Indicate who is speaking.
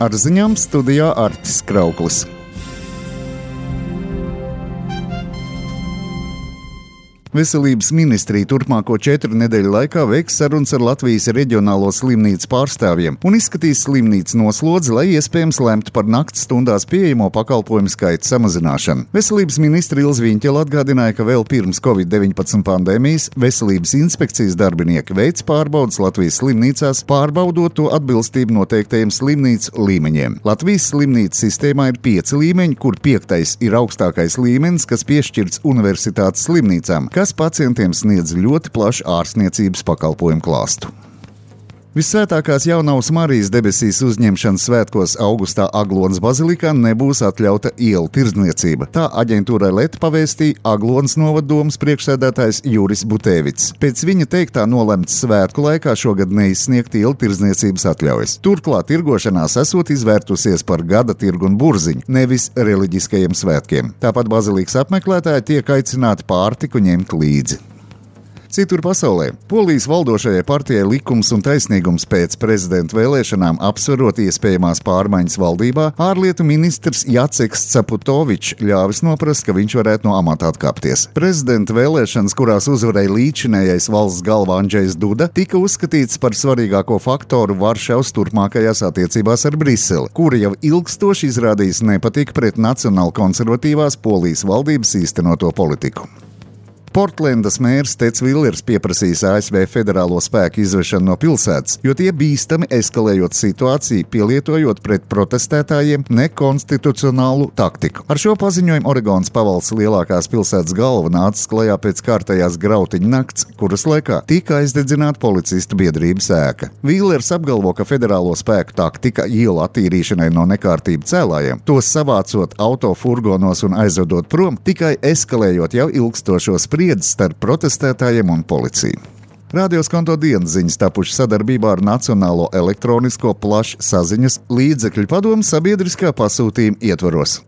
Speaker 1: Ar ziņām studijā Artis Krauklis. Veselības ministrija turpmāko 4 nedēļu laikā veiks sarunas ar Latvijas reģionālo slimnīcu pārstāvjiem un izskatīs slimnīcu noslodzi, lai iespējams lemtu par nakts stundās pieejamo pakalpojumu skaita samazināšanu. Veselības ministra Ilze Viņķele atgādināja, ka vēl pirms Covid-19 pandēmijas veselības inspekcijas darbinieki veic pārbaudas Latvijas slimnīcās, pārbaudot to atbilstību noteiktajiem slimnīcu līmeņiem. Latvijas slimnīcu sistēmā ir 5 līmeņi, kur 5. ir augstākais līmenis, kas piešķirts universitātes slimnīcām, kas pacientiem sniedz ļoti plašu ārstniecības pakalpojumu klāstu. Visvētākās Jaunavas Marijas debesīs uzņemšanas svētkos augustā Aglonas bazilikā nebūs atļauta ielu tirdzniecība. Tā aģentūrai LET pavēstīja Aglonas novaddomes priekšsēdētājs Juris Butēvits. Pēc viņa teiktā nolemts svētku laikā šogad neizsniegt ielu tirdzniecības atļaujas. Turklāt tirgošanās esot izvērtusies par gada tirgu un burziņu, nevis reliģiskajiem svētkiem. Tāpat bazilikas apmeklētāji tiek aicināti pārtiku ņemt līdzi. Citur pasaulē Polijas valdošajai partijai Likums un taisnīgums pēc prezidenta vēlēšanām apsverot iespējamās pārmaiņas valdībā, ārlietu ministrs Jaceks Caputovičs ļāvis noprast, ka viņš varētu no amata atkāpties. Prezidenta vēlēšanas, kurās uzvarēja līdzinējais valsts galva Andžejs Duda, tika uzskatīts par svarīgāko faktoru Varšavas turpmākajās attiecībās ar Briseli, kura jau ilgstoši izrādījis nepatiku pret nacionāli konservatīvās Polijas valdības īstenoto politiku. Portlendas mērs Teds Villers pieprasīs ASV federālo spēku izvešanu no pilsētas, jo tie bīstami eskalējot situāciju, pielietojot pret protestētājiem nekonstitucionālu taktiku. Ar šo paziņojumu Oregonas pavalsts lielākās pilsētas galva nāca klajā pēc kārtējās grautiņu nakts, kuras laikā tika aizdedzināta policistu biedrības ēka. Villers apgalvo, ka federālo spēku taktika ielu attīrīšanai no nekārtību cēlājiem, tos savācot autofurgonos un aizvedot prom, tikai eskalējot jau ilgstošo spriedzi starp protestētājiem un policiju. Radio Skonto dienas ziņas tapušas sadarbībā ar Nacionālo elektronisko plašsaziņas līdzekļu padomu sabiedriskā pasūtījuma ietvaros.